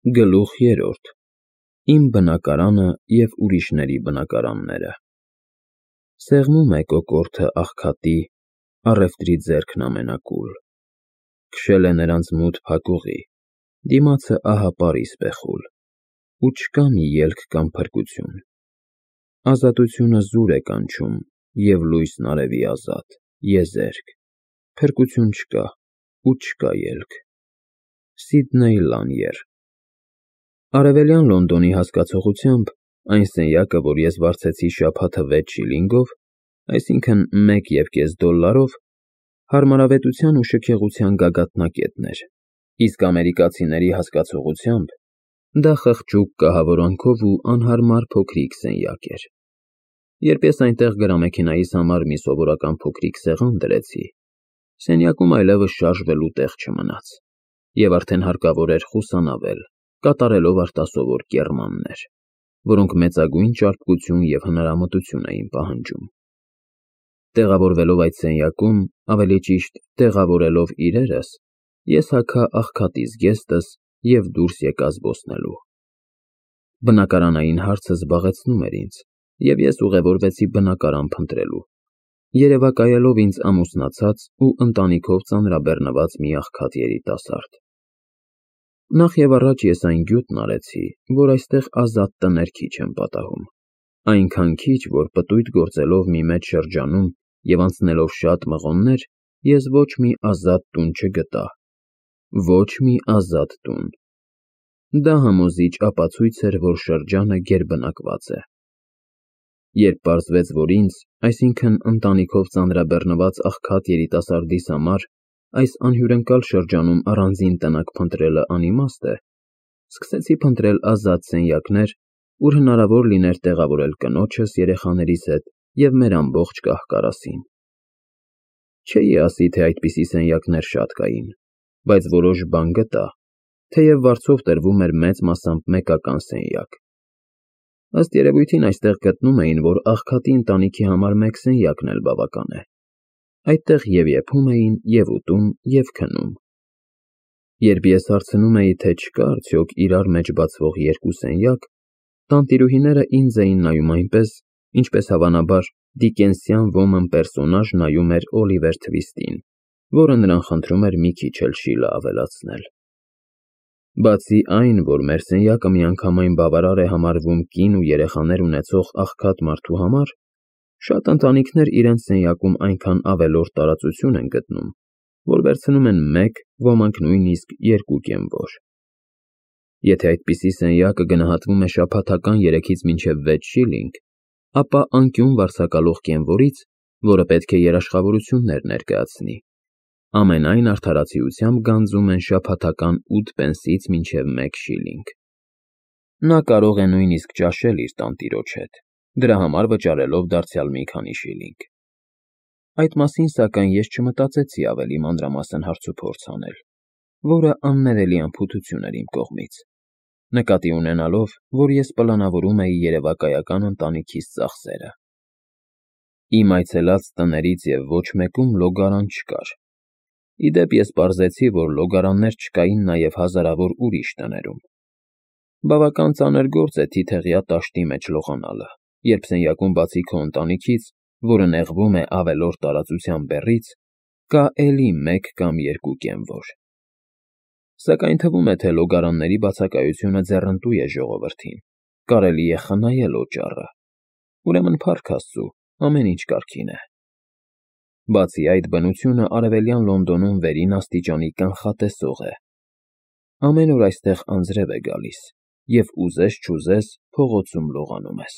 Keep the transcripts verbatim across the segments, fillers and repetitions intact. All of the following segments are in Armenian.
Գլուխ երրորդ Իմ բնակարանը և ուրիշների բնակարանները Սեղմում է կոկորդը աղքատի, առևտրի ձեռքն ամենակուլ, քշել է նրանց մութ փակուղի, դիմացը ահապար իսպեխուլ, ու չկա մի ելք կամ փրկություն, ազատությունը զուր է կանչում և լույսն արևի ազատ, եզերք, փրկություն չկա ու չկա ելք: Սիդնեյ Լանիեր Արևելյան Լոնդոնի հասկացողությամբ, այն սենյակը, որ ես վարձեցի շաբաթը վեց շիլինգով, այսինքն՝ մեկ և կես դոլարով, հարմարավետության ու շքեղության գագաթնակետն էր, իսկ ամերիկացիների հասկացողությամբ, դա խղճուկ կահավորանքով ու անհարմար փոքրիկ սենյակ էր: Երբ ես այնտեղ գրամեքենայիս համար մի սովորական փոքրիկ սեղան դրեցի, սենյակում այլևս շարժվելու տեղ չմնաց, և արդեն հարկավոր էր խուսանավել, կատարելով արտասովոր կեռմաններ, որոնք մեծագույն ճարպկություն և հնարամտություն էին պահանջում: Տեղավորվելով այդ սենյակում, ավելի ճիշտ, տեղավորելով իրերս, ես հագա աղքատի զգեստս և դուրս եկա զբոսնելու: Բնակարանային հարցը զբաղեցնում էր ինձ, և ես ուղևորվեցի բնակարան փնտրելու, երևակայելով ինձ ամուսնացած ու ընտանիքով ծանրաբեռնված մի աղքատ երիտասարդ: Նախ և առաջ ես այն գյուտն արեցի, որ այստեղ ազատ տներ քիչ են պատահում, այնքան քիչ, որ պտույտ գործելով մի մեծ շրջանում և անցնելով շատ մղոններ, ես ոչ մի ազատ տուն չգտա, ոչ մի ազատ տուն: Դա համոզիչ ապացույց էր, որ շրջանը գերբնակված է: Երբ պարզվեց, որ ինձ, այսինքն՝ ընտանիքով ծանրաբեռնված աղքատ երիտասարդիս համար այս անհյուրընկալ շրջանում առանձին տնակ փնտրելը անիմաստ է, սկսեցի փնտրել ազատ սենյակներ, ուր հնարավոր լիներ տեղավորել կնոջս, երեխաներիս հետ և մեր ամբողջ կահ֊կարասին: Չէի ասի, թե այդպիսի սենյակներ շատ կային, բայց որոշ բան գտա, թեև վարձով տրվում էր մեծ մասամբ մեկական սենյակ: Ըստ երևույթին այստեղ գտնում էին, որ աղքատի ընտանիքի համար մեկ սենյակն էլ բավական է: Այդտեղ և եփում էին, և ուտում, և քնում: Երբ ես հարցնում էի, թե չկա արդյոք իրար մեջ բացվող երկու սենյակ, տանտիրուհիները ինձ էին նայում այնպես, ինչպես հավանաբար դիկենսյան ոմն պերսոնաժ նայում էր Օլիվեր Թվիստին, որը նրան խնդրում էր մի քիչ էլ շիլը ավելացնել: Բացի այն, որ մեր սենյակը միանգամայն բավարար է համարվում կին ու երեխաներ ունեցող աղքատ մարդու համար, շատ ընտանիքներ իրենց սենյակում այնքան ավելորդ տարածություն են գտնում, որ վերցնում են մեկ, ոմանք նույնիսկ երկու կենվոր: Եթե այդպիսի սենյակը գնահատվում է շաբաթական երեքից մինչև վեց շիլինգ, ապա անկյուն վարձակալող կենվորից, որը պետք է երաշխավորություններ ներկայացնի, ամենայն արդարացիությամբ գանձում են շաբաթական ութ պենսից մինչև մեկ շիլինգ: Նա կարող է նույնիսկ ճաշել իր տանտիրոջ հետ, դրա համար վճարելով դարձյալ մի քանի շիլինգ: Այդ մասին, սակայն, ես չմտածեցի ավելի մանրամասն հարցուփորձ անել, որը աններելի անփութություն էր իմ կողմից, նկատի ունենալով, որ ես պլանավորում էի երևակայական ընտանիքիս ծախսերը: Իմ այցելած տներից և ոչ մեկում լոգարան չկար: Ի դեպ, ես պարզեցի, որ լոգարաններ չկային նաև հազարավոր ուրիշ տներում: Բավական ծանր գործ է թիթեղյա տաշտի մեջ լողանալը, երբ սենյակում բացի քո ընտանիքից, որը նեղվում է ավելորդ տարածության բեռից, կա էլի մեկ կամ երկու կենվոր: Սակայն թվում է, թե լոգարանների բացակայությունը ձեռնտու է ժողովրդին, կարելի է խնայել օճառը: Ուրեմն փառք Աստծու, ամեն ինչ կարգին է: Բացի այդ, բնությունը Արևելյան Լոնդոնում վերին աստիճանի կանխատեսող է: Ամեն օր այստեղ անձրև է գալիս, և ուզես-չուզես փողոցում լողանում ես: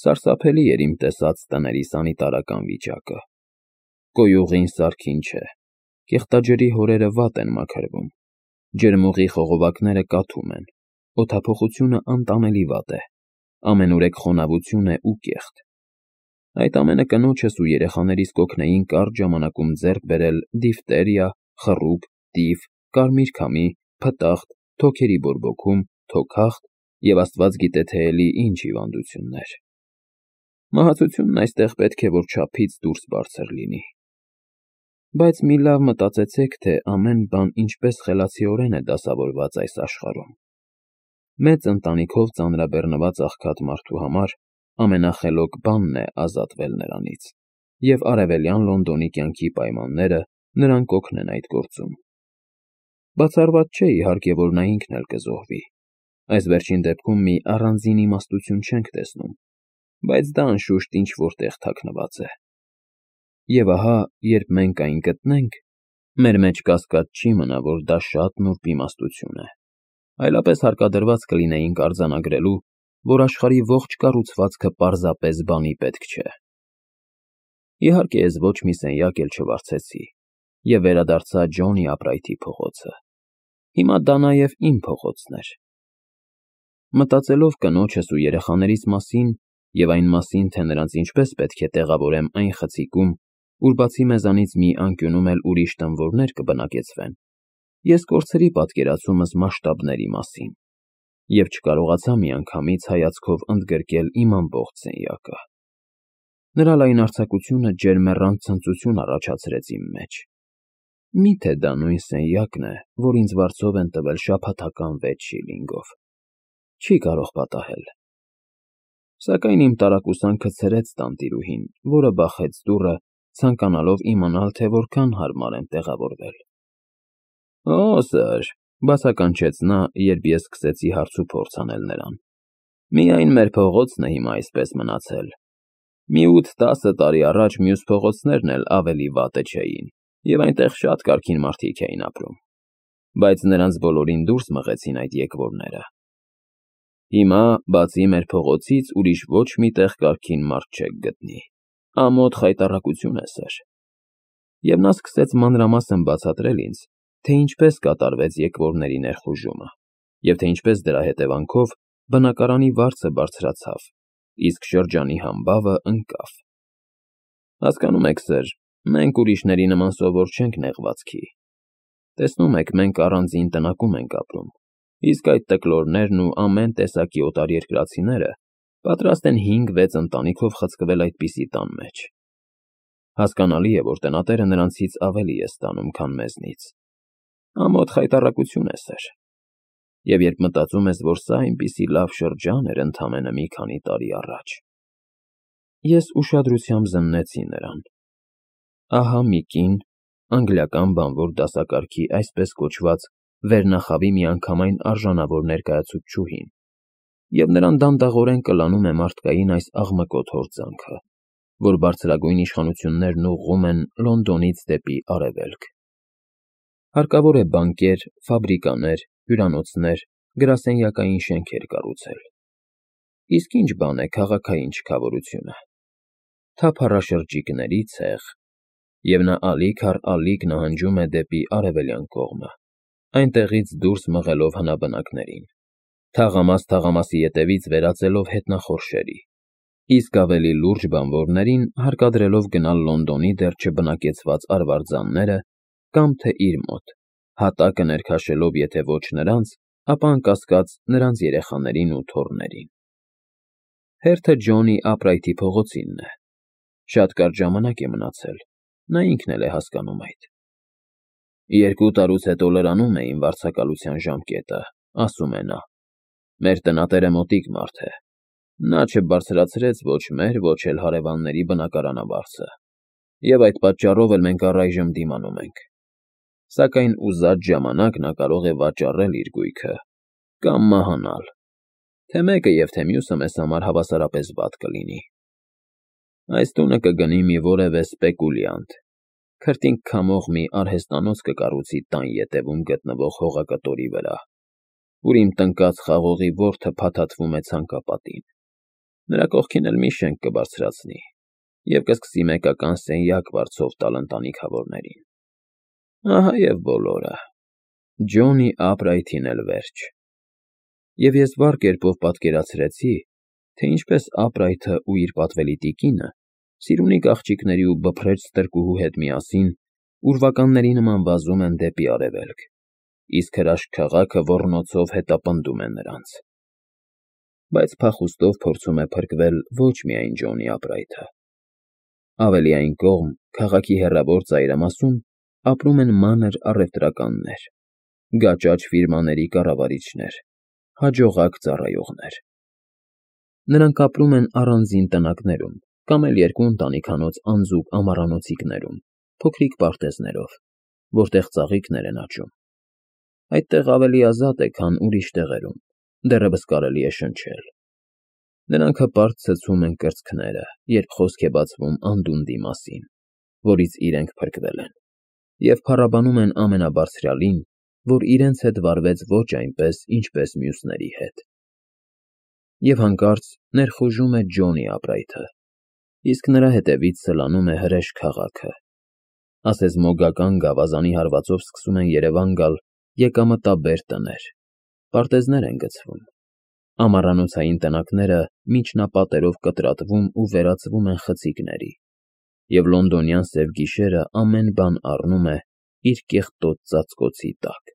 Սարսափելի էր իմ տեսած տների սանիտարական վիճակը: Կոյուղին սարքին չէ, կեղտաջրի հորերը վատ են մաքրվում, ջրմուղի խողովակները կաթում են, օդափոխությունը անտանելի վատ է, ամենուրեք խոնավություն է ու կեղտ: Այդ ամենը կնոջս ու երեխաներիս կօգնեին կարճ ժամանակում ձեռք բերել դիֆտերիա, խռուկ, տիֆ, կարմիր քամի, փտախտ, թոքերի բորբոքում, թոքախտ և աստված գիտե թե էլի ինչ հիվանդություններ: Մահացությունն այստեղ պետք է որ չափից դուրս բարձր լինի: Բայց մի լավ մտածեցեք, թե ամեն բան ինչպես խելացիորեն է դասավորված այս աշխարհում։ Մեծ ընտանիքով ծանրաբեռնված աղքատ մարդու համար ամենախելոք բանն է ազատվել նրանից, և արևելյան Լոնդոնի կյանքի պայմանները նրան կօգնեն այդ գործում։ Բացառված չէ, իհարկե, որ նա ինքն էլ կզոհվի։ Այս վերջին դեպքում մի առանձին իմաստություն չենք տեսնում, բայց դա անշուշտ ինչ-որ տեղ թաքնված է։ Եվ ահա, երբ մենք այն գտնենք, մեր մեջ կասկած չի մնա, որ դա շատ նուրբ իմաստություն է, այլապես հարկադրված կլինեինք արձանագրելու, որ աշխարհի ողջ կառուցվածքը պարզապես բանի պետք չէ։ Իհարկե, ես ոչ մի սենյակ էլ չվարձեցի և վերադարձա Ջոնի Ափրայթի փողոցը։ Հիմա դա նաև իմ փողոցն էր։ Մտածելով կնոջս ու երեխաներիս մասին և այն մասին, թե նրանց ինչպես պետք է տեղավորեմ այն խցիկում, ուր բացի մեզանից մի անկյունում էլ ուրիշ տանվորներ կբնակեցվեն, ես կորցրի պատկերացումս մասշտաբների մասին և չկարողացա միանգամից հայացքով ընդգրկել իմ ամբողջ սենյակը։ Նրա լայնարձակությունը ջերմեռանդ ցնծություն առաջացրեց իմ մեջ։ Մի՞թե դա նույն սենյակն է, որ ինձ վարձով են տվել շաբաթական վեց շիլինգով։ Չի կարող պատահել։ Սակայն իմ տարակուսանքը ցրեց տանտիրուհին, որը բախեց դուռը, ցանկանալով իմանալ, թե որքան հարմար եմ տեղավորվել։ ֊ Օ, սըր, ֊ բացականչեց նա, երբ ես սկսեցի հարցուփորձ անել նրան։ ֊ Միայն մեր փողոցն է հիմա այսպես մնացել։ Մի ութ֊տասը տարի առաջ մյուս փողոցներն էլ ավելի վատը չէին, և այնտեղ շատ կարգին մարդիկ էին ապրում, բայց նրանց բոլորին դուրս մղեցին այդ եկվորները։ Հիմա, բացի մեր փողոցից, ուրիշ ոչ մի տեղ կարգին մարդ չեք գտնի։ Ամոթ խայտառակություն է, սըր։ Եվ նա սկսեց մանրամասն բացատրել ինձ, թե ինչպես կատարվեց եկվորների ներխուժումը, և թե ինչպես դրա հետևանքով բնակարանի վարձը բարձրացավ, իսկ շրջանի համբավը ընկավ։ Հասկանում եք, սըր, մենք ուրիշների նման սովոր չենք նեղվածքի։ Տեսնում եք, մենք առանձին տնակում ենք ապրում, իսկ այդ տկլորներն ու ամեն տեսակի օտարերկրացիները պատրաստ են հինգ֊վեց ընտանիքով խցկվել այդպիսի տան մեջ։ Հասկանալի է, որ տնատերը նրանցից ավելի է ստանում, քան մեզնից։ Ամոթ խայտառակություն է, սըր։ Եվ երբ մտածում ես, որ սա այնպիսի լավ շրջան էր ընդամենը մի քանի տարի առաջ… Ես ուշադրությամբ զննեցի նրան։ Ահա մի կին, անգլիական բանվոր դասակարգի այսպես կոչված վերնախավի միանգամայն արժանավոր ներկայացուցչուհին, և նրան դանդաղորեն կլանում է մարդկային այս աղմկոտ հորձանքը, որ բարձրագույն իշխանություններն ուղղում են Լոնդոնից դեպի արևելք։ Հարկավոր է բանկեր, ֆաբրիկաներ, հյուրանոցներ, գրասենյակային շենքեր կառուցել։ Իսկ ի՞նչ բան է քաղաքային չքավորությունը։ Թափառաշրջիկների ցեղ։ Եվ նա ալիք առ ալիք նահանջում է դեպի արևելյան կողմը, այնտեղից դուրս մղելով հնաբնակներին, թաղամաս֊թաղամասի ետևից վերածելով հետնախորշերի, իսկ ավելի լուրջ բանվորներին հարկադրելով գնալ Լոնդոնի դեռ չբնակեցված արվարձանները կամ թե իր մոտ, հատակը ներքաշելով եթե ոչ նրանց, ապա անկասկած նրանց երեխաներին ու թոռներին։ Հերթը Ջոնի Ափրայթի փողոցինն է։ Շատ կարճ ժամանակ է մնացել, նա ինքն էլ է հասկանում այդ։ Երկու տարուց հետո լրանում է իմ վարձակալության ժամկետը, ասում է նա։ Մեր տնատերը մոտիկ մարդ է։ Նա չբարձրացրեց ոչ մեր, ոչ էլ հարևանների բնակարանավարձը, և այդ պատճառով էլ մենք առայժմ դիմանում ենք։ Սակայն ուզած ժամանակ նա կարող է վաճառել իր գույքը կամ մահանալ, թե մեկը և թե մյուսը մեզ համար հավասարապես վատ կլինի։ Այս տունը կգնի մի որևէ սպեկուլյանտ, քրտինք քամող մի արհեստանոց կկառուցի տան ետևում գտնվող հողակտորի վրա, ուր իմ տնկած խաղողի որթը փաթաթվում է ցանկապատին։ Նրա կողքին էլ մի շենք կբարձրացնի և կսկսի մեկական սենյակ վարձով տալ ընտանիքավորներին։ Ահա և բոլորը։ Ջոնի Ափրայթին էլ վերջ։ Եվ ես վառ կերպով պատկերացրեցի, թե ինչպես Ափրայթը ու իր պատվելի տիկինը սիրունիկ աղջիկների ու բփռեչ ստրկուհու հետ միասին ուրվականների նման վազում են դեպի արևելք, իսկ հրաշք քաղաքը ոռնոցով հետապնդում է նրանց։ Բայց փախուստով փորձում է փրկվել ոչ միայն Ջոնի Ափրայթը։ Ավելի այն կողմ, քաղաքի հեռավոր ծայրամասում ապրում են մանր առևտրականներ, գաճաճ ֆիրմաների կառավարիչներ, հաջողակ ծառայողներ։ Նրանք ապրում են առանձին տնակներում կամ էլ երկու ընտանիքանոց անձուկ ամառանոցիկներում, փոքրիկ պարտեզներով, որտեղ ծաղիկներ են աճում։ Այդտեղ ավելի ազատ է, քան ուրիշ տեղերում, դեռևս կարելի է շնչել։ Նրանք հպարտ ցցում են կրծքները, երբ խոսք է բացվում անդունդի մասին, որից իրենք փրկվել են, և փառաբանում են ամենաբարձրյալին, որ իրենց հետ վարվեց ոչ այնպես, ինչպես մյուսների հետ։ Եվ հանկարծ ներխուժում է Ջոնի ապրայթը, իսկ նրա հետևից սլանում է հրեշ քաղաքը, ասես մոգական գավազանի հարվածով սկսում են երևան գալ եկամտաբեր տներ, պարտեզներ են գցվում, ամառանոցային տնակները միջնապատերով կտրատվում ու վերածվում են խցիկների, և լոնդոնյան սև գիշերը ամեն բան առնում է իր կեղտոտ ծածկոցի տակ։